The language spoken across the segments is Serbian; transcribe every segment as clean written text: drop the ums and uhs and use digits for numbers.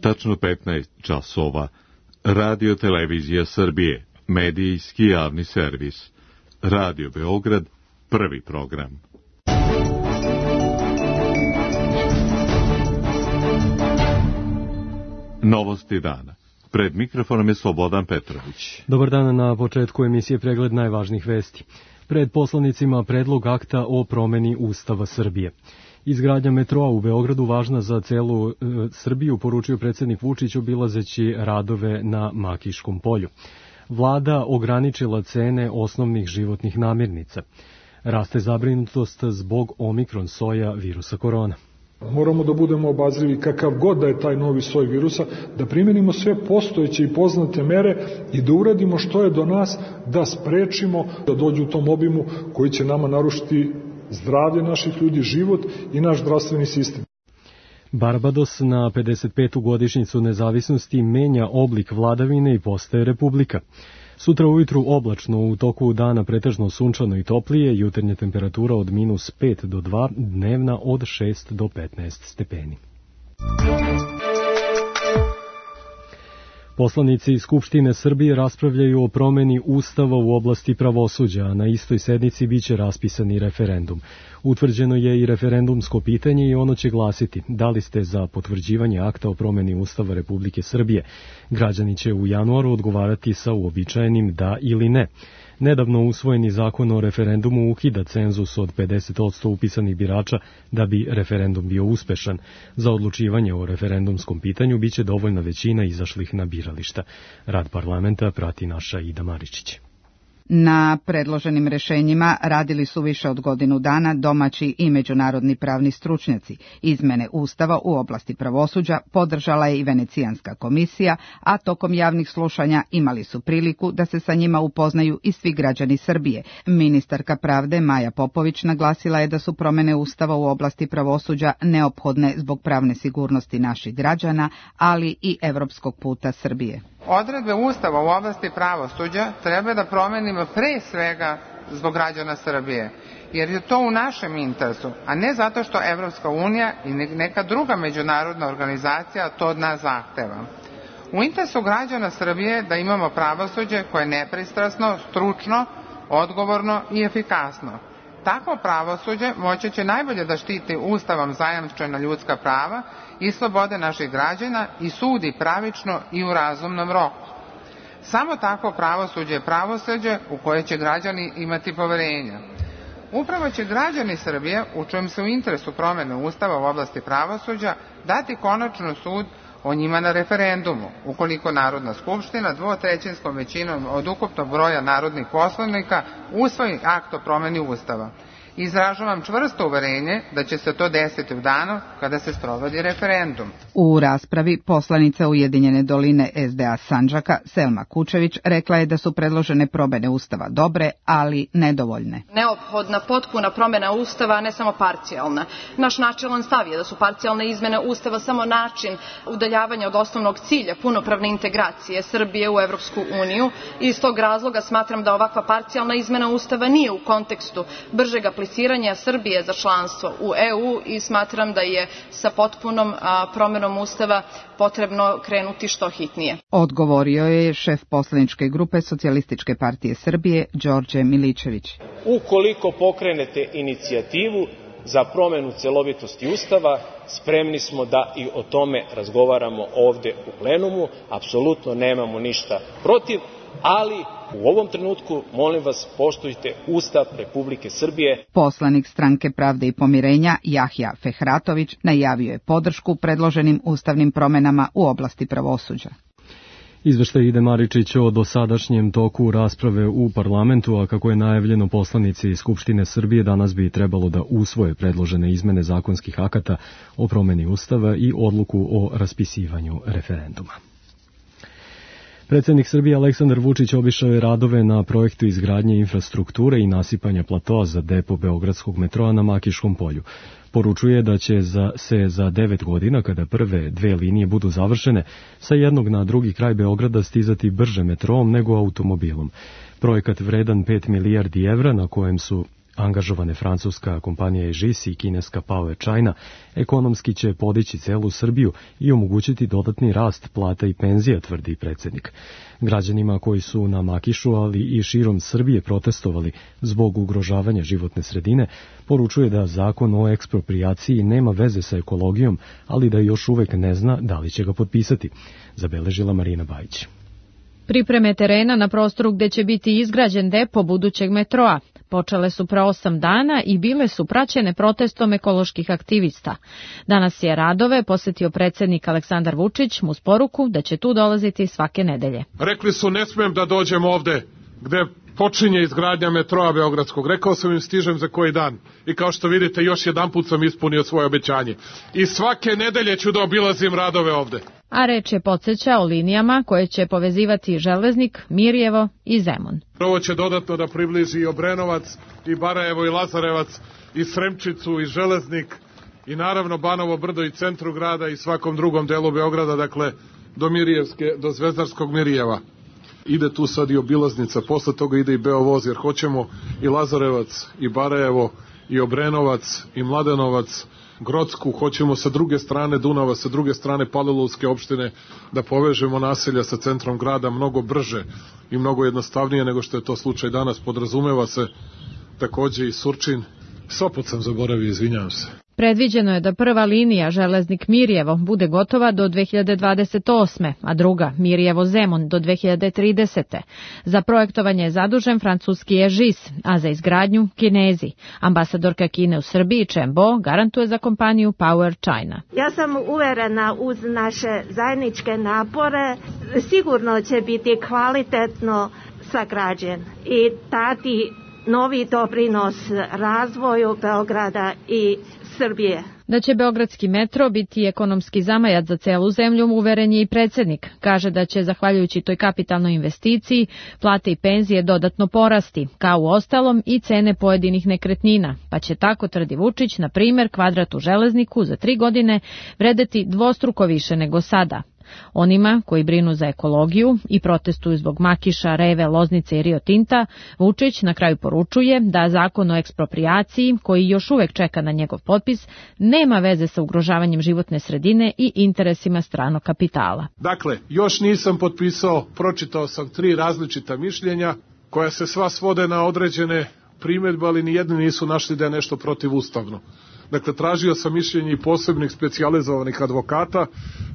tačno 15 časova. Radio Televizija Srbije, medijski javni servis. Radio Beograd, prvi program. Novosti dana. Pred mikrofonom je Slobodan Petrović. Dobar dan, na početku emisije pregled najvažnijih vesti. Pred poslanicima predlog akta o promeni Ustava Srbije. Izgradnja metroa u Beogradu važna za celu Srbiju, poručio predsjednik Vučić obilazeći radove na Makiškom polju. Vlada ograničila cene osnovnih životnih namirnica. Raste zabrinutost zbog omikron soja virusa korona. Moramo da budemo obazrivi kakav god da je taj novi soj virusa, da primjenimo sve postojeće i poznate mere i da uradimo što je do nas da sprečimo da dođu u tom obimu koji će nama narušiti zdravlje naših ljudi, život i naš zdravstveni sistem. Barbados na 55. godišnjicu nezavisnosti menja oblik vladavine i postaje republika. Sutra ujutru oblačno, u toku dana pretežno sunčano i toplije, jutarnja temperatura od -5 do 2, dnevna od 6 do 15 stepeni. Poslanici Skupštine Srbije raspravljaju o promeni Ustava u oblasti pravosuđa, a na istoj sednici biće raspisani referendum. Utvrđeno je i referendumsko pitanje i ono će glasiti: da li ste za potvrđivanje akta o promeni Ustava Republike Srbije? Građani će u januaru odgovarati sa uobičajenim da ili ne. Nedavno usvojeni zakon o referendumu ukida cenzus od 50% upisanih birača da bi referendum bio uspešan. Za odlučivanje o referendumskom pitanju biće dovoljna većina izašlih na birališta. Rad parlamenta prati naša Ida Maričić. Na predloženim rešenjima radili su više od godinu dana domaći i međunarodni pravni stručnjaci. Izmene Ustava u oblasti pravosuđa podržala je i Venecijanska komisija, a tokom javnih slušanja imali su priliku da se sa njima upoznaju i svi građani Srbije. Ministarka pravde Maja Popović naglasila je da su promene Ustava u oblasti pravosuđa neophodne zbog pravne sigurnosti naših građana, ali i evropskog puta Srbije. Odredbe Ustava u oblasti pravosuđa treba da promenimo pre svega zbog građana Srbije, jer je to u našem interesu, a ne zato što Evropska unija i neka druga međunarodna organizacija to od nas zahteva. U interesu građana Srbije da imamo pravosuđe koje je nepristrasno, stručno, odgovorno i efikasno. Takvo pravosuđe moći će najbolje da štiti Ustavom zajamčena ljudska prava i slobode naših građana i sudi pravično i u razumnom roku. Samo takvo pravosuđe je pravosuđe u koje će građani imati poverenja. Upravo će građani Srbije, u čijem se u interesu promene Ustava u oblasti pravosuđa, dati konačno sud o njima na referendumu, ukoliko Narodna skupština 2/3 većinom od ukupnog broja narodnih poslanika usvoji akt o promeni Ustava. Izražavam čvrsto uverenje da će se to desiti u danu kada se sprovodi referendum. U raspravi poslanica Ujedinjene doline SDA Sandžaka Selma Kučević rekla je da su predložene promene Ustava dobre, ali nedovoljne. Neophodna potpuna promena Ustava, a ne samo parcijalna. Naš načelan stav je da su parcijalne izmene Ustava samo način udaljavanja od osnovnog cilja punopravne integracije Srbije u Evropsku uniju i iz tog razloga smatram da ovakva parcijalna izmena Ustava nije u kontekstu bržeg apliciranja Srbije za članstvo u EU i smatram da je sa potpunom promenom Ustava potrebno krenuti što hitnije. Odgovorio je šef poslaničke grupe Socijalističke partije Srbije, Đorđe Miličević. Ukoliko pokrenete inicijativu za promenu celovitosti Ustava, spremni smo da i o tome razgovaramo ovde u plenumu, apsolutno nemamo ništa protiv, ali u ovom trenutku, molim vas, poštujte Ustav Republike Srbije. Poslanik Stranke pravde i pomirenja Jahja Fehratović najavio je podršku predloženim ustavnim promenama u oblasti pravosuđa. Izveštaj Ide Maričić o dosadašnjem toku rasprave u parlamentu, a kako je najavljeno, poslanici Skupštine Srbije danas bi trebalo da usvoje predložene izmene zakonskih akata o promeni Ustava i odluku o raspisivanju referenduma. Predsjednik Srbije Aleksandar Vučić obišao je radove na projektu izgradnje infrastrukture i nasipanja platoa za depo beogradskog metroa na Makiškom polju. Poručuje da će se za 9 godina, kada prve 2 linije budu završene, sa jednog na drugi kraj Beograda stizati brže metroom nego automobilom. Projekat vredan 5 milijardi evra, na kojem su angažovane francuska kompanija Egis i kineska Power China, ekonomski će podići celu Srbiju i omogućiti dodatni rast plata i penzija, tvrdi predsjednik. Građanima koji su na Makišu, ali i širom Srbije protestovali zbog ugrožavanja životne sredine, poručuje da zakon o eksproprijaciji nema veze sa ekologijom, ali da još uvek ne zna da li će ga potpisati, zabeležila Marina Bajić. Pripreme terena na prostoru gde će biti izgrađen depo budućeg metroa počele su pre 8 dana i bile su praćene protestom ekoloških aktivista. Danas je radove posetio predsjednik Aleksandar Vučić uz poruku da će tu dolaziti svake nedelje. Rekli su ne smem da dođem ovde gde počinje izgradnja metroa Beogradskog. Rekao sam im stižem za koji dan. I kao što vidite još jedanput sam ispunio svoje obećanje. I svake nedelje ću da obilazim radove ovde. A reč je podsjeća o linijama koje će povezivati Železnik, Mirjevo i Zemun. Ovo će dodatno da približi i Obrenovac, i Barajevo, i Lazarevac, i Sremčicu, i Železnik, i naravno Banovo Brdo i centru grada i svakom drugom delu Beograda, dakle do Zvezdarskog Mirjeva. Ide tu sad i obilaznica, posle toga ide i Beovoz, jer hoćemo i Lazarevac, i Barajevo, i Obrenovac, i Mladenovac, Grodsku, hoćemo sa druge strane Dunava, sa druge strane Palilulske opštine da povežemo naselja sa centrom grada mnogo brže i mnogo jednostavnije nego što je to slučaj danas. Podrazumeva se takođe i Surčin. Sopot sam zaboravio, izvinjavam se. Predviđeno je da prva linija Železnik-Mirjevo bude gotova do 2028. a druga Mirjevo-Zemun do 2030. Za projektovanje je zadužen francuski Egis, a za izgradnju Kinezi. Ambasadorka Kine u Srbiji Chen Bo garantuje za kompaniju Power China. Ja sam uverena uz naše zajedničke napore sigurno će biti kvalitetno sagrađen i dati novi doprinos razvoju Beograda i Srbije. Da će Beogradski metro biti ekonomski zamajac za celu zemlju, uveren je i predsjednik. Kaže da će, zahvaljujući toj kapitalnoj investiciji, plate i penzije dodatno porasti, kao u ostalom i cene pojedinih nekretnina, pa će tako, tvrdi Vučić, na primjer, kvadrat u Železniku za 3 godine vredeti dvostruko više nego sada. Onima koji brinu za ekologiju i protestuju zbog Makiša, Reve, Loznice i Rio Tinta, Vučić na kraju poručuje da zakon o eksproprijaciji, koji još uvek čeka na njegov potpis, nema veze sa ugrožavanjem životne sredine i interesima stranog kapitala. Dakle, još nisam potpisao, pročitao sam 3 različita mišljenja koja se sva svode na određene primjedbe, ali nijedni nisu našli da je nešto protivustavno. Dakle, tražio sam mišljenje i posebnih specijalizovanih advokata,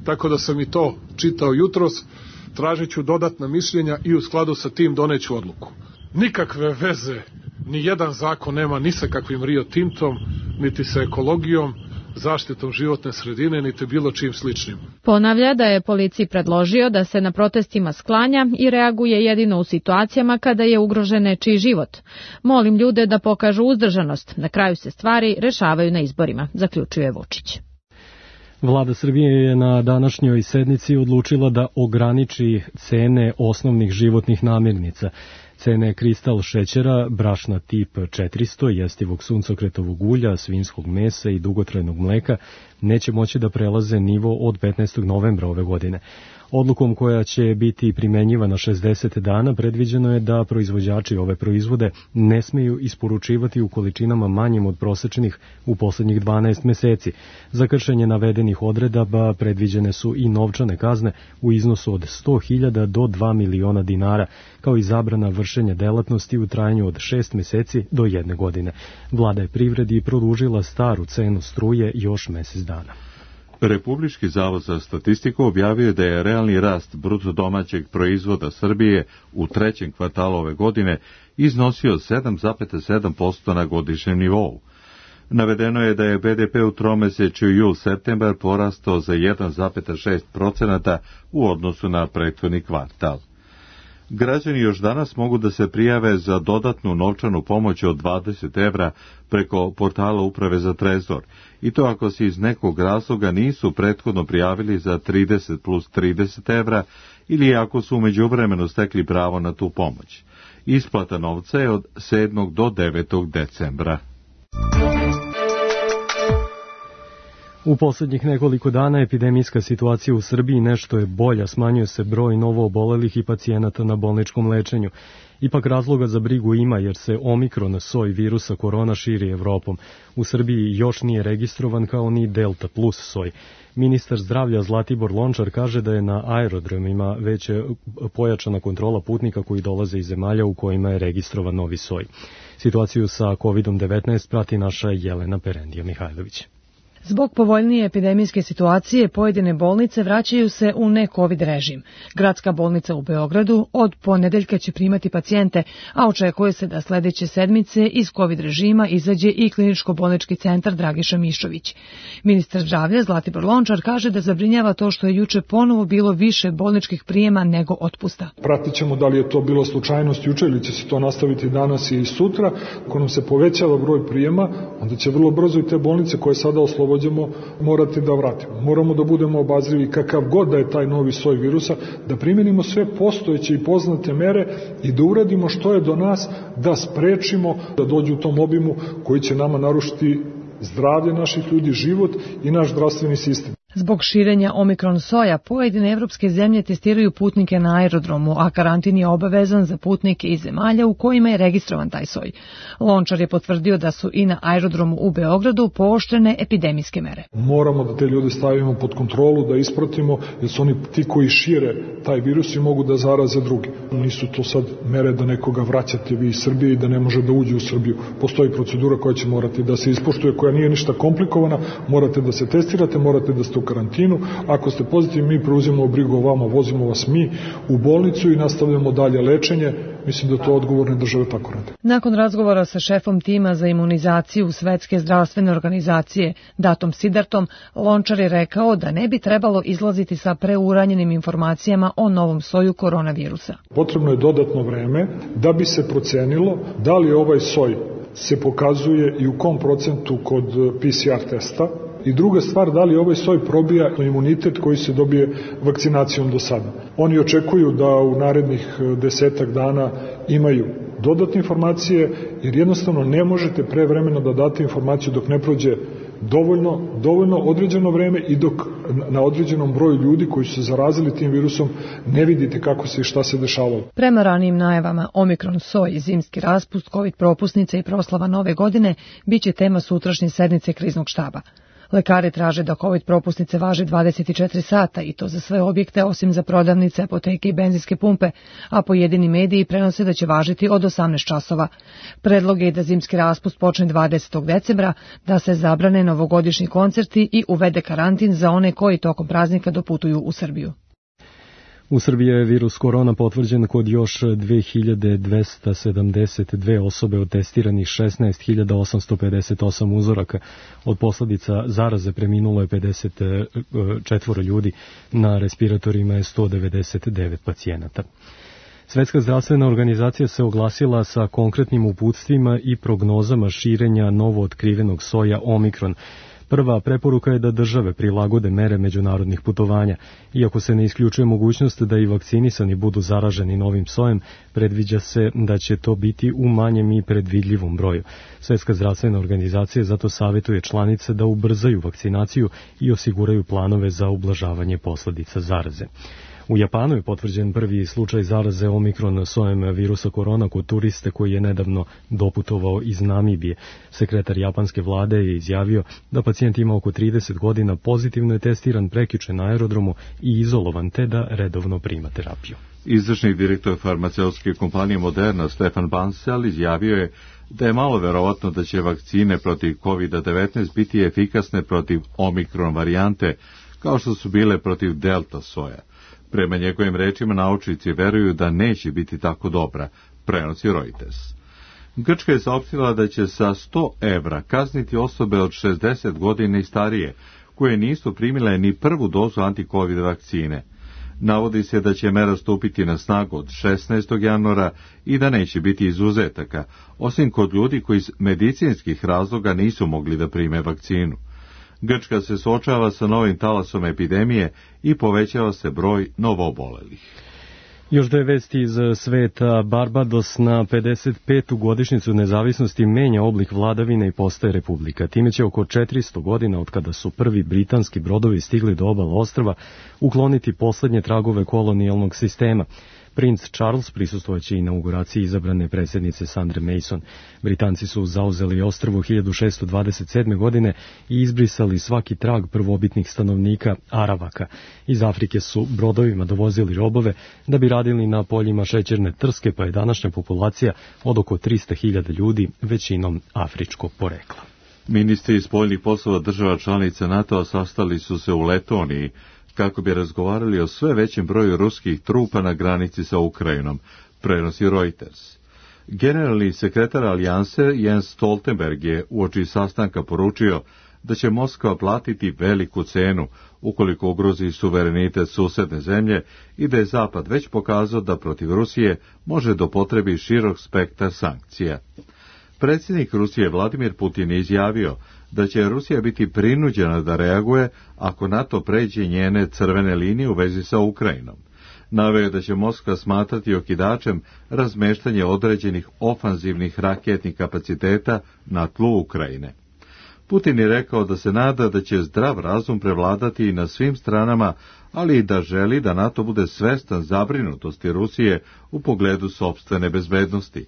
tako da sam i to čitao jutros. Tražit ću dodatna mišljenja i u skladu sa tim doneću odluku. Nikakve veze, ni jedan zakon nema ni sa kakvim Rio Tintom, niti sa ekologijom, zaštitom životne sredine, niti bilo čim sličnim. Ponavlja da je policiji predložio da se na protestima sklanja i reaguje jedino u situacijama kada je ugrožen nečiji život. Molim ljude da pokažu uzdržanost, na kraju se stvari rešavaju na izborima, zaključuje Vučić. Vlada Srbije je na današnjoj sednici odlučila da ograniči cene osnovnih životnih namirnica. Cene kristal šećera, brašna tip 400, jestivog suncokretovog ulja, svinjskog mesa i dugotrajnog mleka neće moći da prelaze nivo od 15. novembra ove godine. Odlukom koja će biti primenjivana 60 dana predviđeno je da proizvođači ove proizvode ne smeju isporučivati u količinama manjim od prosečnih u poslednjih 12 meseci. Za kršenje navedenih odredaba predviđene su i novčane kazne u iznosu od 100.000 do 2 miliona dinara, kao i zabrana vršenja delatnosti u trajanju od 6 meseci do 1 godine. Vlada je privredi produžila staru cenu struje još mesec dana. Republički zavod za statistiku objavio je da je realni rast bruto domaćeg proizvoda Srbije u 3. kvartalu ove godine iznosio 7,7% na godišnjem nivou. Navedeno je da je BDP u tromesečju jul-septembar porastao za 1,6% u odnosu na prethodni kvartal. Građani još danas mogu da se prijave za dodatnu novčanu pomoć od 20 evra preko portala Uprave za trezor, i to ako se iz nekog razloga nisu prethodno prijavili za 30 plus 30 evra ili ako su u međuvremenu stekli pravo na tu pomoć. Isplata novca je od 7. do 9. decembra. U posljednjih nekoliko dana epidemijska situacija u Srbiji nešto je bolja, smanjuje se broj novoobolelih i pacijenata na bolničkom lečenju. Ipak razloga za brigu ima jer se omikron soj virusa korona širi Evropom. U Srbiji još nije registrovan kao ni delta plus soj. Ministar zdravlja Zlatibor Lončar kaže da je na aerodromima već pojačana kontrola putnika koji dolaze iz zemalja u kojima je registrovan novi soj. Situaciju sa COVID-19 prati naša Jelena Perendija Mihajlović. Zbog povoljnije epidemijske situacije, pojedine bolnice vraćaju se u ne-covid režim. Gradska bolnica u Beogradu od ponedeljka će primati pacijente, a očekuje se da sledeće sedmice iz covid režima izađe i kliničko-bolnički centar Dragiša Mišović. Ministar zdravlja Zlatibor Lončar kaže da zabrinjava to što je juče ponovo bilo više bolničkih prijema nego otpusta. Pratit ćemo da li je to bilo slučajnost juče ili će se to nastaviti danas i sutra. Ako nam se povećava broj prijema, onda će vrlo brzo i te bolnice koje sada oslobođamo morati da vratimo. Moramo da budemo obazrivi kakav god da je taj novi soj virusa, da primenimo sve postojeće i poznate mere i da uradimo što je do nas da sprečimo da dođu u tom obimu koji će nama narušiti zdravlje naših ljudi, život i naš zdravstveni sistem. Zbog širenja omikron soja, pojedine evropske zemlje testiraju putnike na aerodromu, a karantin je obavezan za putnike iz zemalja u kojima je registrovan taj soj. Lončar je potvrdio da su i na aerodromu u Beogradu pooštrene epidemijske mere. Moramo da te ljude stavimo pod kontrolu, da ispratimo, jer su oni ti koji šire taj virus i mogu da zaraze drugi. Nisu to sad mere da nekoga vraćate vi iz Srbije i da ne može da uđe u Srbiju. Postoji procedura koja će morati da se ispoštuje, koja nije ništa komplikovana, morate da se testirate, morate da ste u karantinu. Ako ste pozitivni, mi preuzimamo brigu o vama, vozimo vas mi u bolnicu i nastavljamo dalje lečenje. Mislim da to odgovorne države tako rade. Nakon razgovora sa šefom tima za imunizaciju Svetske zdravstvene organizacije, Datom Sidartom, Lončar je rekao da ne bi trebalo izlaziti sa preuranjenim informacijama o novom soju koronavirusa. Potrebno je dodatno vreme da bi se procenilo da li ovaj soj se pokazuje i u kom procentu kod PCR testa. I druga stvar, da li ovaj soj probija imunitet koji se dobije vakcinacijom do sada. Oni očekuju da u narednih 10 dana imaju dodatne informacije, jer jednostavno ne možete prevremeno da date informaciju dok ne prođe dovoljno određeno vreme i dok na određenom broju ljudi koji su se zarazili tim virusom ne vidite kako se i šta se dešavalo. Prema ranijim najavama, omikron soj, zimski raspust, covid propusnice i proslava nove godine biće tema sutrašnje sednice kriznog štaba. Lekari traže da COVID propusnice važe 24 sata i to za sve objekte osim za prodavnice, apoteke i benzinske pumpe, a pojedini mediji prenose da će važiti od 18 časova. Predlog je da zimski raspust počne 20. decembra, da se zabrane novogodišnji koncerti i uvede karantin za one koji tokom praznika doputuju u Srbiju. U Srbiji je virus korona potvrđen kod još 2272 osobe od testiranih 16.858 uzoraka. Od posledica zaraze preminulo je 54 ljudi, na respiratorima je 199 pacijenata. Svetska zdravstvena organizacija se oglasila sa konkretnim uputstvima i prognozama širenja novootkrivenog soja omikron. Prva preporuka je da države prilagode mere međunarodnih putovanja. Iako se ne isključuje mogućnost da i vakcinisani budu zaraženi novim sojem, predviđa se da će to biti u manjem i predvidljivom broju. Svetska zdravstvena organizacija zato savjetuje članice da ubrzaju vakcinaciju i osiguraju planove za ublažavanje posledica zaraze. U Japanu je potvrđen prvi slučaj zaraze omikron sojem virusa korona kod turiste koji je nedavno doputovao iz Namibije. Sekretar japanske vlade je izjavio da pacijent ima oko 30 godina, pozitivno je testiran prekjuče na aerodromu i izolovan, te da redovno prima terapiju. Izvršni direktor farmaceutske kompanije Moderna Stefan Bancel izjavio je da je malo verovatno da će vakcine protiv COVID-19 biti efikasne protiv omikron varijante, kao što su bile protiv delta soja. Prema njegovim rečima, naučnici veruju da neće biti tako dobra, prenosi Reuters. Grčka je saopštila da će sa 100 evra kazniti osobe od 60 godina i starije, koje nisu primile ni prvu dozu anti-covid vakcine. Navodi se da će mera stupiti na snagu od 16. januara i da neće biti izuzetaka, osim kod ljudi koji iz medicinskih razloga nisu mogli da prime vakcinu. Grčka se suočava sa novim talasom epidemije i povećava se broj novoobolelih. Još dve vesti iz sveta. Barbados na 55. godišnjicu nezavisnosti menja oblik vladavine i postaje republika. Time će oko 400 godina od kada su prvi britanski brodovi stigli do obala ostrva ukloniti poslednje tragove kolonijalnog sistema. Princ Charles prisustvojeće inauguraciji izabrane predsjednice Sandre Mason. Britanci su zauzeli ostrvo 1627. godine i izbrisali svaki trag prvobitnih stanovnika Aravaka. Iz Afrike su brodovima dovozili robove da bi radili na poljima šećerne trske, pa je današnja populacija od oko 300.000 ljudi, većinom afričkog porekla. Ministri spoljnih poslova država članica NATO-a sastali su se u Letoniji kako bi razgovarali o sve većem broju ruskih trupa na granici sa Ukrajinom, prenosi Reuters. Generalni sekretar alijanse Jens Stoltenberg je uoči sastanka poručio da će Moskva platiti veliku cenu ukoliko ugrozi suverenitet susedne zemlje i da je Zapad već pokazao da protiv Rusije može dopotrebi širok spektar sankcija. Predsjednik Rusije Vladimir Putin je izjavio da će Rusija biti prinuđena da reaguje ako NATO pređe njene crvene linije u vezi sa Ukrajinom. Naveo je da će Moskva smatrati okidačem razmeštanje određenih ofanzivnih raketnih kapaciteta na tlu Ukrajine. Putin je rekao da se nada da će zdrav razum prevladati i na svim stranama, ali i da želi da NATO bude svestan zabrinutosti Rusije u pogledu sopstvene bezbednosti.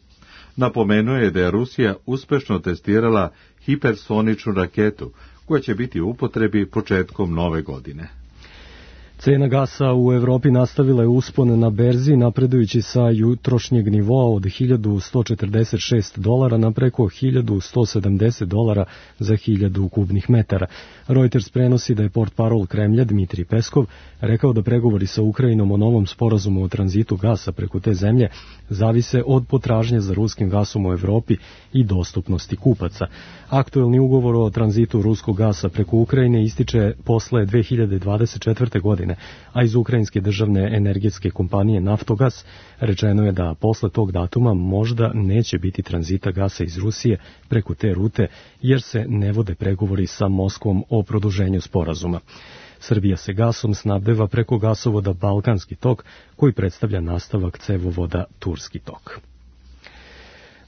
Napomenuo je da je Rusija uspešno testirala hipersoničnu raketu, koja će biti u upotrebi početkom nove godine. Cena gasa u Evropi nastavila je uspon na berzi, napredujući sa jutrošnjeg nivoa od $1.146 na preko $1.170 za 1000 kubnih metara. Reuters prenosi da je portparol Kremlja Dmitrij Peskov rekao da pregovori sa Ukrajinom o novom sporazumu o tranzitu gasa preko te zemlje zavise od potražnje za ruskim gasom u Evropi i dostupnosti kupaca. Aktuelni ugovor o tranzitu ruskog gasa preko Ukrajine ističe posle 2024. godine, a iz ukrajinske državne energetske kompanije Naftogas rečeno je da posle tog datuma možda neće biti tranzita gasa iz Rusije preko te rute, jer se ne vode pregovori sa Moskvom o produženju sporazuma. Srbija se gasom snabdeva preko gasovoda Balkanski tok, koji predstavlja nastavak cevovoda Turski tok.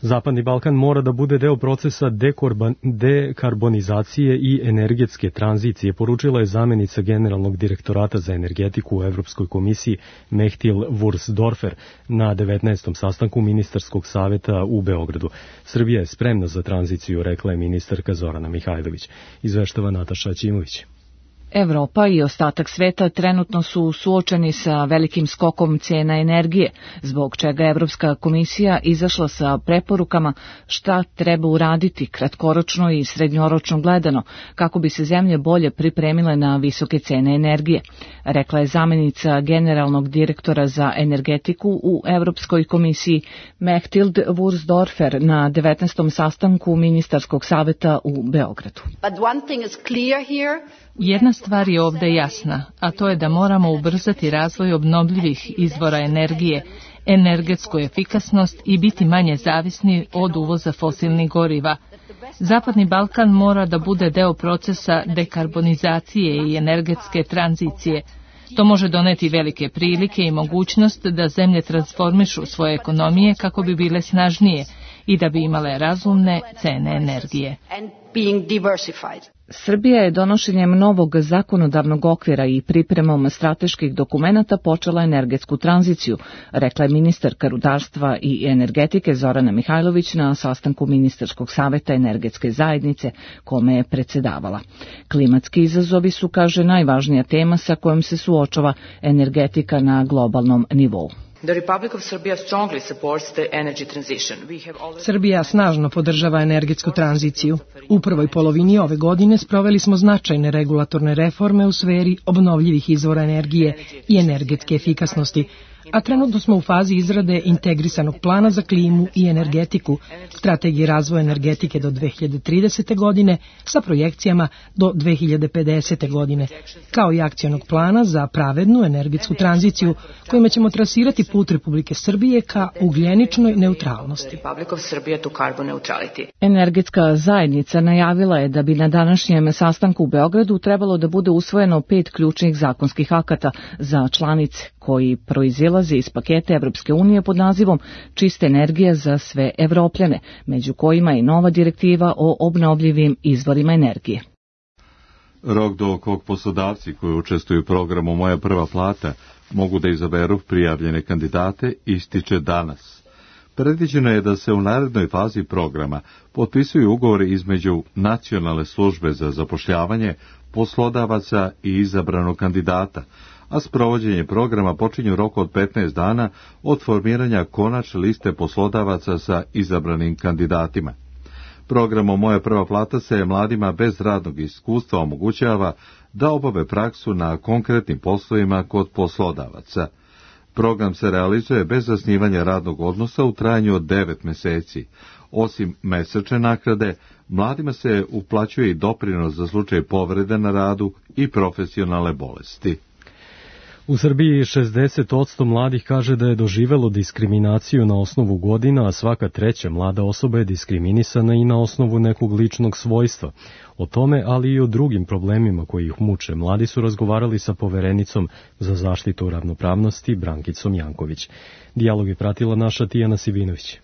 Zapadni Balkan mora da bude deo procesa dekarbonizacije i energetske tranzicije, poručila je zamenica generalnog direktorata za energetiku u Evropskoj komisiji Mehtil Wursdorfer na 19. sastanku ministarskog saveta u Beogradu. Srbija je spremna za tranziciju, rekla je ministarka Zorana Mihajlović. Izveštava Nataša Ćimović. Evropa i ostatak sveta trenutno su suočeni sa velikim skokom cijena energije, zbog čega je Evropska komisija izašla sa preporukama šta treba uraditi kratkoročno i srednjoročno gledano, kako bi se zemlje bolje pripremile na visoke cene energije, rekla je zamenica generalnog direktora za energetiku u Evropskoj komisiji Mechtild Wursdorfer na 19. sastanku ministarskog saveta u Beogradu. Jedna stvar je ovdje jasna, a to je da moramo ubrzati razvoj obnovljivih izvora energije, energetsku efikasnost i biti manje zavisni od uvoza fosilnih goriva. Zapadni Balkan mora da bude deo procesa dekarbonizacije i energetske tranzicije. To može doneti velike prilike i mogućnost da zemlje transformišu svoje ekonomije kako bi bile snažnije i da bi imale razumne cene energije. Srbija je donošenjem novog zakonodavnog okvira i pripremom strateških dokumenata počela energetsku tranziciju, rekla je ministarka rudarstva i energetike Zorana Mihajlović na sastanku ministarskog saveta energetske zajednice kome je predsedavala. Klimatski izazovi su, kaže, najvažnija tema sa kojom se suočava energetika na globalnom nivou. Srbija snažno podržava energetsku tranziciju. U prvoj polovini ove godine sproveli smo značajne regulatorne reforme u sferi obnovljivih izvora energije i energetske efikasnosti, a trenutno smo u fazi izrade integrisanog plana za klimu i energetiku, strategije razvoja energetike do 2030. godine sa projekcijama do 2050. godine, kao i akcionog plana za pravednu energetsku tranziciju kojima ćemo trasirati put Republike Srbije ka ugljeničnoj neutralnosti. Energetska zajednica najavila je da bi na današnjem sastanku u Beogradu trebalo da bude usvojeno 5 ključnih zakonskih akata za članice koji proizilaze proizilaze iz paketa Evropske unije pod nazivom Čista energija za sve Evropljane, među kojima i nova direktiva o obnovljivim izvorima energije. Rok do kog poslodavci koji učestvuju u programu Moja prva plata mogu da izaberu prijavljene kandidate ističe danas. Predviđeno je da se u narednoj fazi programa potpisuju ugovori između Nacionalne službe za zapošljavanje, poslodavaca i izabranog kandidata, a sprovođenje programa počinje u roku od 15 dana od formiranja konačne liste poslodavaca sa izabranim kandidatima. Programom Moja prva plata se mladima bez radnog iskustva omogućava da obave praksu na konkretnim poslovima kod poslodavaca. Program se realizuje bez zasnivanja radnog odnosa u trajanju od 9 meseci. Osim mesečne naknade, mladima se uplaćuje i doprinos za slučaj povrede na radu i profesionalne bolesti. U Srbiji 60% mladih kaže da je doživelo diskriminaciju na osnovu godina, a svaka treća mlada osoba je diskriminisana i na osnovu nekog ličnog svojstva. O tome, ali i o drugim problemima koji ih muče, mladi su razgovarali sa poverenicom za zaštitu ravnopravnosti Brankicom Janković. Dijalog je pratila naša Tijana Sibinović.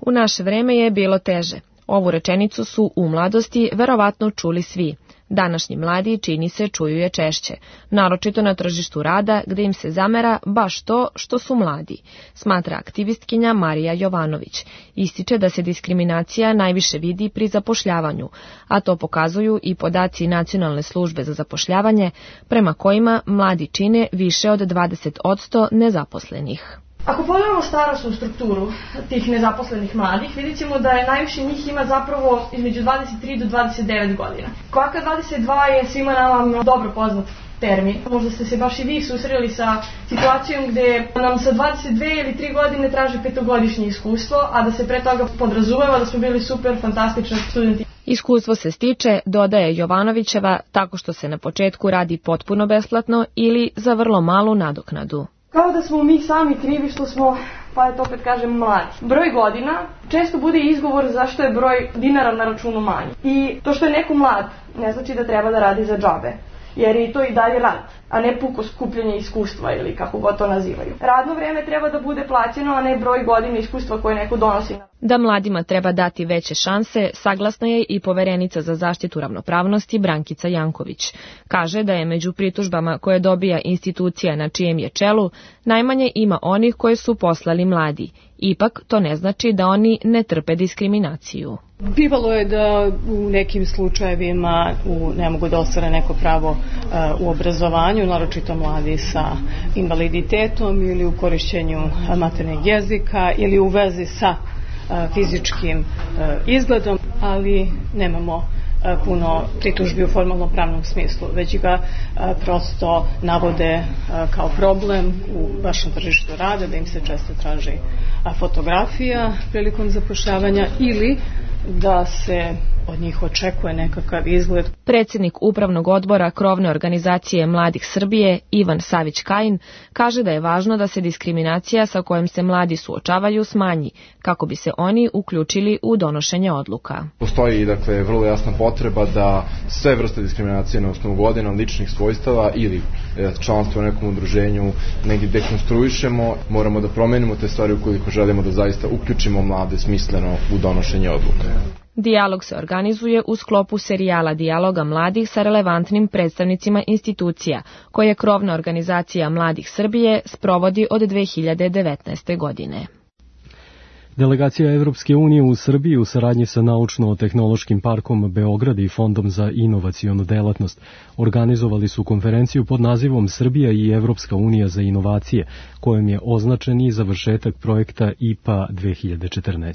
U naše vreme je bilo teže. Ovu rečenicu su u mladosti verovatno čuli svi. Današnji mladi, čini se, čuju je češće, naročito na tržištu rada gde im se zamera baš to što su mladi, smatra aktivistkinja Marija Jovanović. Ističe da se diskriminacija najviše vidi pri zapošljavanju, a to pokazuju i podaci Nacionalne službe za zapošljavanje, prema kojima mladi čine više od 20% nezaposlenih. Ako pogledamo starosnu strukturu tih nezaposlenih mladih, vidjet ćemo da je najviše njih ima zapravo između 23 do 29 godina. Kvaka 22 je svima nama dobro poznat termin. Možda ste se baš i vi susreli sa situacijom gde nam sa 22 ili 3 godine traži 5-godišnje iskustvo, a da se pre toga podrazumeva da smo bili super, fantastični studenti. Iskustvo se stiče, dodaje Jovanovićeva, tako što se na početku radi potpuno besplatno ili za vrlo malu nadoknadu. Kao da smo mi sami krivi što smo, pa eto opet kažem, mladi. Broj godina često bude izgovor zašto je broj dinara na računu manji. I to što je neko mlad ne znači da treba da radi za džabe, jer je to i dalje rad, a ne puko skupljanje iskustva ili kako god to nazivaju. Radno vreme treba da bude plaćeno, a ne broj godina iskustva koje neko donosi. Da mladima treba dati veće šanse, saglasna je i poverenica za zaštitu ravnopravnosti Brankica Janković. Kaže da je među pritužbama koje dobija institucija na čijem je čelu, najmanje ima onih koje su poslali mladi. Ipak to ne znači da oni ne trpe diskriminaciju. Bivalo je da u nekim slučajevima ne mogu da ostvare neko pravo u obrazovanju, naročito mladi sa invaliditetom ili u korišćenju maternjeg jezika ili u vezi sa fizičkim izgledom, ali nemamo puno pritužbi u formalno-pravnom smislu, već ga prosto navode kao problem u vašem tržištu rada, da im se često traži fotografija prilikom zapošljavanja ili da se od njih očekuje nekakav izgled. Predsjednik Upravnog odbora krovne organizacije Mladih Srbije, Ivan Savić-Kajin, kaže da je važno da se diskriminacija sa kojom se mladi suočavaju smanji, kako bi se oni uključili u donošenje odluka. Postoji, dakle, vrlo jasna potreba da sve vrste diskriminacije na osnovu godina, ličnih svojstava ili članstva u nekom udruženju negdje dekonstruišemo. Moramo da promenimo te stvari ukoliko želimo da zaista uključimo mlade smisleno u donošenje odluka. Dijalog se organizuje u sklopu serijala dijaloga mladih sa relevantnim predstavnicima institucija, koje krovna organizacija Mladih Srbije sprovodi od 2019. godine. Delegacija Evropske unije u Srbiji u saradnji sa Naučno-tehnološkim parkom Beograd i Fondom za inovacionu delatnost organizovali su konferenciju pod nazivom Srbija i Evropska unija za inovacije, kojom je označen i završetak projekta IPA 2014.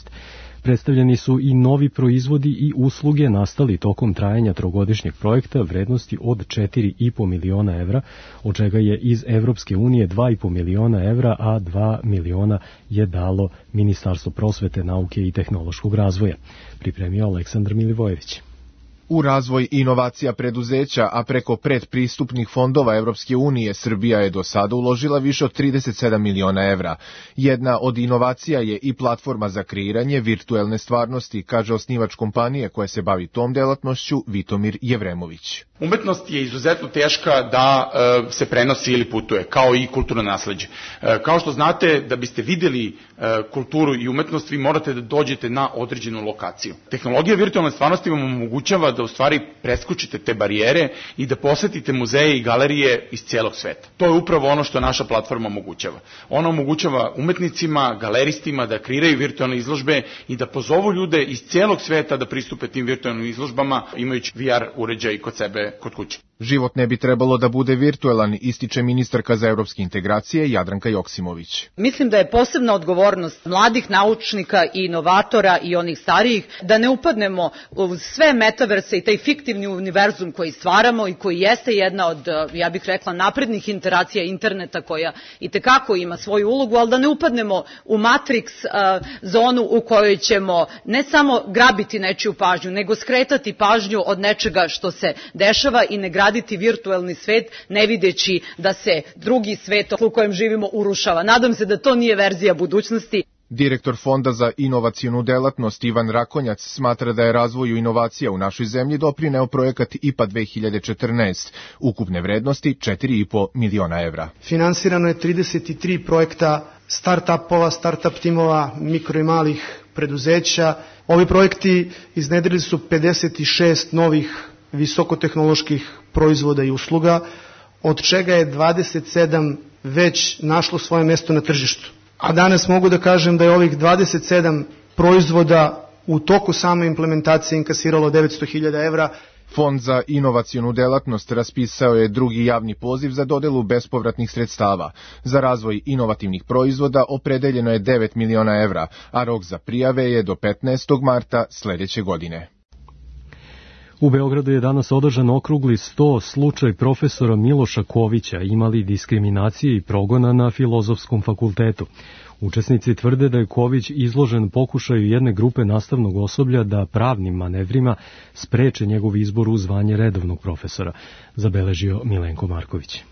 Predstavljeni su i novi proizvodi i usluge nastali tokom trajanja trogodišnjeg projekta vrednosti od 4,5 miliona evra, od čega je iz Evropske unije 2,5 miliona evra, a 2 miliona je dalo Ministarstvo prosvete, nauke i tehnološkog razvoja. Pripremio Aleksandar Milivojević. U razvoj inovacija preduzeća, a preko predpristupnih fondova Evropske unije, Srbija je do sada uložila više od 37 miliona evra. Jedna od inovacija je i platforma za kreiranje virtuelne stvarnosti, kaže osnivač kompanije koja se bavi tom delatnošću, Vitomir Jevremović. Umetnost je izuzetno teška da se prenosi ili putuje, kao i kulturno nasleđe. Kao što znate, da biste videli kulturu i umetnost, vi morate da dođete na određenu lokaciju. Tehnologija virtualne stvarnosti vam omogućava da u stvari preskočite te barijere i da posetite muzeje i galerije iz cijelog sveta. To je upravo ono što naša platforma omogućava. Ona omogućava umetnicima, galeristima da kreiraju virtualne izložbe i da pozovu ljude iz cijelog sveta da pristupe tim virtualnim izložbama imajući VR uređaj kod sebe kod kuće. Život ne bi trebalo da bude virtualan, ističe ministarka za evropske integracije Jadranka Joksimović. Mislim da je posebna odgovornost mladih naučnika i inovatora i onih starijih da ne upadnemo u sve metaverse i taj fiktivni univerzum koji stvaramo i koji jeste jedna od, ja bih rekla, naprednih interacija interneta koja itekako ima svoju ulogu, ali da ne upadnemo u Matrix zonu u kojoj ćemo ne samo grabiti nečiju pažnju, nego skretati pažnju od nečega što se dešava i ne graditi virtualni svet, ne videći da se drugi svet u kojem živimo urušava. Nadam se da to nije verzija budućnosti. Direktor Fonda za inovacionu delatnost Ivan Rakonjac smatra da je razvoju inovacija u našoj zemlji doprineo projekat IPA 2014, ukupne vrednosti 4,5 miliona evra. Finansirano je 33 projekta start-upova, start-up timova, mikro i malih preduzeća. Ovi projekti iznedrili su 56 novih visokotehnoloških proizvoda i usluga, od čega je 27 već našlo svoje mesto na tržištu. A danas mogu da kažem da je ovih 27 proizvoda u toku same implementacije inkasiralo 900.000 evra. Fond za inovacionu delatnost raspisao je drugi javni poziv za dodelu bespovratnih sredstava. Za razvoj inovativnih proizvoda opredeljeno je 9 miliona evra, a rok za prijave je do 15. marta sledeće godine. U Beogradu je danas održan okrugli 100 slučaj profesora Miloša Kovića imali diskriminacije i progona na Filozofskom fakultetu. Učesnici tvrde da je Ković izložen pokušaju jedne grupe nastavnog osoblja da pravnim manevrima spreče njegov izbor u zvanje redovnog profesora, zabeležio Milenko Marković.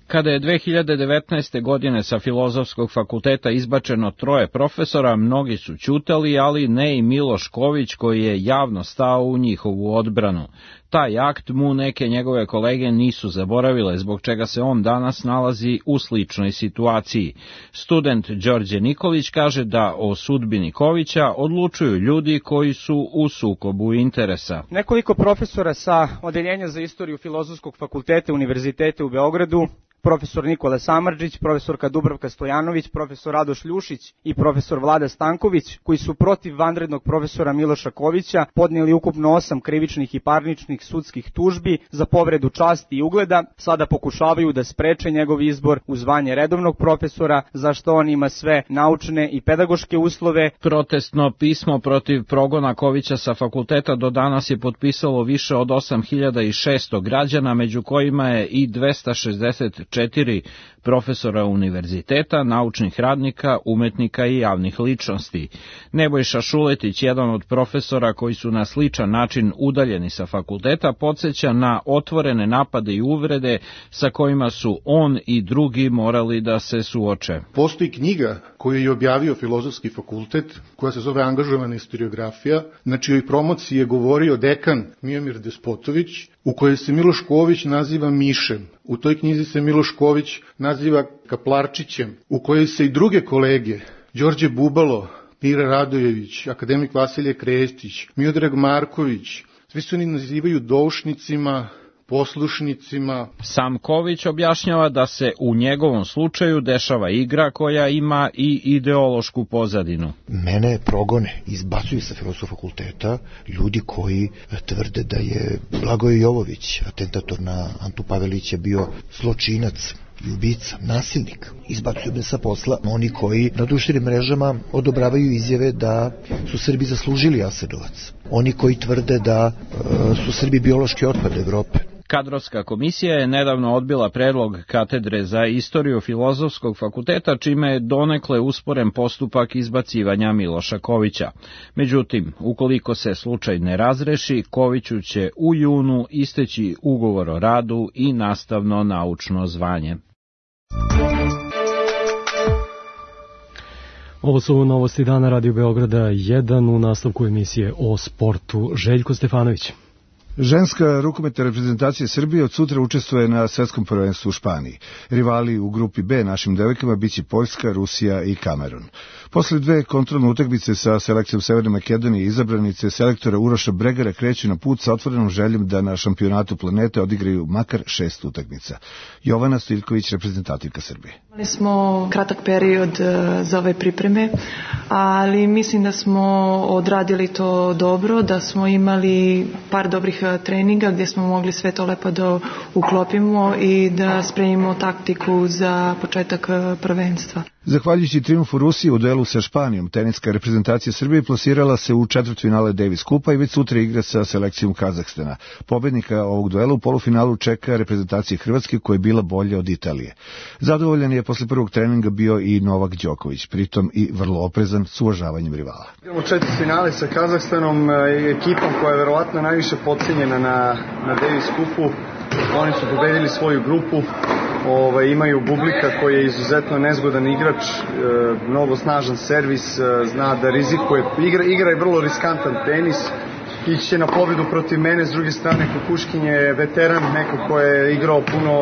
Kada je 2019. godine sa Filozofskog fakulteta izbačeno 3 profesora, mnogi su ćutali, ali ne i Miloš Ković koji je javno stao u njihovu odbranu. Taj akt mu neke njegove kolege nisu zaboravile, zbog čega se on danas nalazi u sličnoj situaciji. Student Đorđe Nikolić kaže da o sudbini Kovića odlučuju ljudi koji su u sukobu interesa. Nekoliko profesora sa Odeljenja za istoriju Filozofskog fakulteta Univerziteta u Beogradu, profesor Nikola Samardžić, profesorka Dubravka Stojanović, profesor Radoš Ljušić i profesor Vlada Stanković, koji su protiv vanrednog profesora Miloša Kovića podnijeli ukupno 8 krivičnih i parničnih sudskih tužbi za povredu časti i ugleda, sada pokušavaju da spreče njegov izbor u zvanje redovnog profesora, za što on ima sve naučne i pedagoške uslove. Protestno pismo protiv progona Kovića sa fakulteta do danas je potpisalo više od 8600 građana, među kojima je i 264 profesora univerziteta, naučnih radnika, umetnika i javnih ličnosti. Nebojša Šuletić, jedan od profesora koji su na sličan način udaljeni sa fakulteta, podsjeća na otvorene napade i uvrede sa kojima su on i drugi morali da se suoče. Postoji knjiga koju je objavio Filozofski fakultet, koja se zove Angažovana historiografija, na čijoj promociji je govorio dekan Mijomir Despotović, u kojoj se Miloš Ković naziva Mišem. U toj knjizi se Miloš Ković naziva Kaplarčićem, u kojoj se i druge kolege, Đorđe Bubalo, Mira Radojević, akademik Vasilije Krestić, Miodrag Marković, svi se oni nazivaju doušnicima, poslušnicima. Sam Ković objašnjava da se u njegovom slučaju dešava igra koja ima i ideološku pozadinu. Mene progone, izbacuju sa Filozofskog fakulteta ljudi koji tvrde da je Blagoje Jovović, atentator na Antu Pavelića, bio zločinac i ubica, nasilnik. Izbacuju me sa posla oni koji na društvenim mrežama odobravaju izjave da su Srbi zaslužili Jasenovac. Oni koji tvrde da su Srbi biološki otpad Evrope. Kadrovska komisija je nedavno odbila predlog katedre za istoriju Filozofskog fakulteta, čime je donekle usporen postupak izbacivanja Miloša Kovića. Međutim, ukoliko se slučaj ne razreši, Koviću će u junu isteći ugovor o radu i nastavno naučno zvanje. Ovo su novosti dana Radio Beograda 1 u nastavku emisije o sportu. Željko Stefanović. Ženska rukometna reprezentacija Srbije od sutra učestvuje na svetskom prvenstvu u Španiji. Rivali u grupi B našim devojkama biće Poljska, Rusija i Kamerun. Posle dve kontrolne utakmice sa selekcijom Severne Makedonije izabranice selektora Uroša Bregara kreću na put sa otvorenom željom da na šampionatu planete odigraju makar 6 utakmica. Jovana Stojiljković, reprezentativka Srbije. Imali smo kratak period za ove pripreme, ali mislim da smo odradili to dobro, da smo imali par dobrih treninga gdje smo mogli sve to lepo da uklopimo i da spremimo taktiku za početak prvenstva. Zahvaljujući triumfu Rusije u duelu sa Španijom, teniska reprezentacija Srbije plasirala se u četvrtfinale Davis Kupa i već sutra igra sa selekcijom Kazahstana. Pobednika ovog duela u polufinalu čeka reprezentacija Hrvatske koja je bila bolja od Italije. Zadovoljan je posle prvog treninga bio i Novak Đoković, pritom i vrlo oprezan s uvažavanjem rivala. Igramo četvrtfinale sa Kazahstanom, ekipom koja je verovatno najviše podcenjena na Davis Kupu. Oni su pobedili svoju grupu. Imaju Bublika koji je izuzetno nezgodan igrač, mnogo snažan servis, zna da rizikuje, igra je vrlo riskantan tenis, ići će na pobedu protiv mene, s druge strane Kukuškin je veteran, neko ko je igrao puno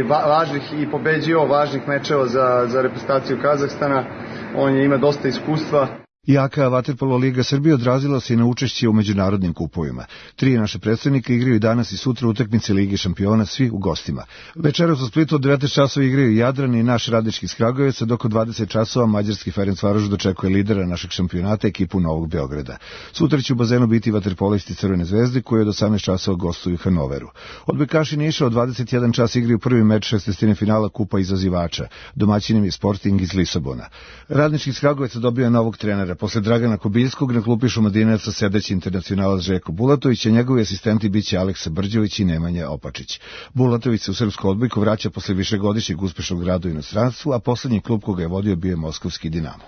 važnih i pobeđio važnih mečeva za reprezentaciju Kazahstana, on ima dosta iskustva. Jaka vaterpolo liga Srbije odrazila se i na učešće u međunarodnim kupovima. 3 naše predstavnika igraju danas i sutra utakmice Lige šampiona, svi u gostima. Večeras u Splitu od 19 časova igraju Jadran i naš Radnički iz Kragujevca, dok od 20 časova mađarski Ferencvaroš dočekuje lidera našeg šampionata, ekipu Novog Beograda. Sutra će u bazenu biti vaterpolisti Crvene zvezde koji od 18 časova gostuju Hanoveru. Odbojkaši Niša od 21 čas igraju prvi meč 16. finala Kupa izazivača. Domaćinim je Sporting iz Lisabona. Radnički iz Kragujevca dobio novog trenera. Posle Dragana Kobiljskog na klupi Šumadinaca sedeći internacionalac Željko Bulatović, a njegovi asistenti biće Aleksa Brđević i Nemanja Opačić. Bulatović se u srpsku odbojku vraća posle višegodišnjeg uspešnog rada u inostranstvu, a poslednji klub koga je vodio bio je Moskovski Dinamo.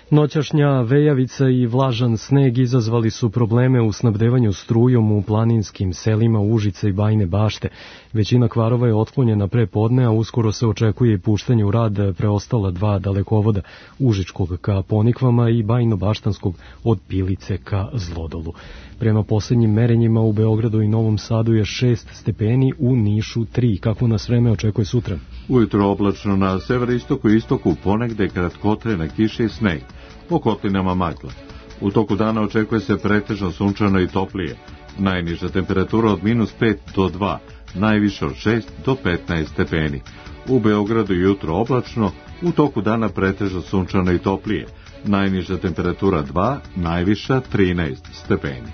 Noćašnja vejavica i vlažan sneg izazvali su probleme u snabdevanju strujom u planinskim selima Užice i Bajine Bašte. Većina kvarova je otklonjena pre podne, a uskoro se očekuje i puštanje u rad preostala 2 dalekovoda, Užičkog ka Ponikvama i Bajino-Baštanskog od Pilice ka Zlodolu. Prema posljednjim merenjima u Beogradu i Novom Sadu je 6 stepeni, u Nišu 3. Kako nas vreme očekuje sutra? Ujutro oblačno na severistoku i istoku, ponegde kratkotrajna kiša i sneg. Po kotlinama magla. U toku dana očekuje se pretežno sunčano i toplije. Najniža temperatura od -5 do 2, najviše od 6 do 15 stepeni. U Beogradu jutro oblačno, u toku dana pretežno sunčano i toplije. Najniža temperatura 2, najviša 13 stepeni.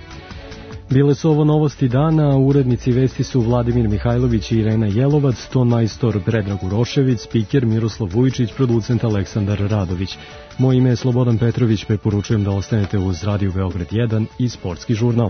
Bile su ovo novosti dana, urednici vesti su Vladimir Mihajlović i Irena Jelovac, ton majstor Predrag Urošević, spiker Miroslav Vujičić, producent Aleksandar Radović. Moje ime je Slobodan Petrović, preporučujem da ostanete uz Radio Beograd 1 i Sportski žurnal.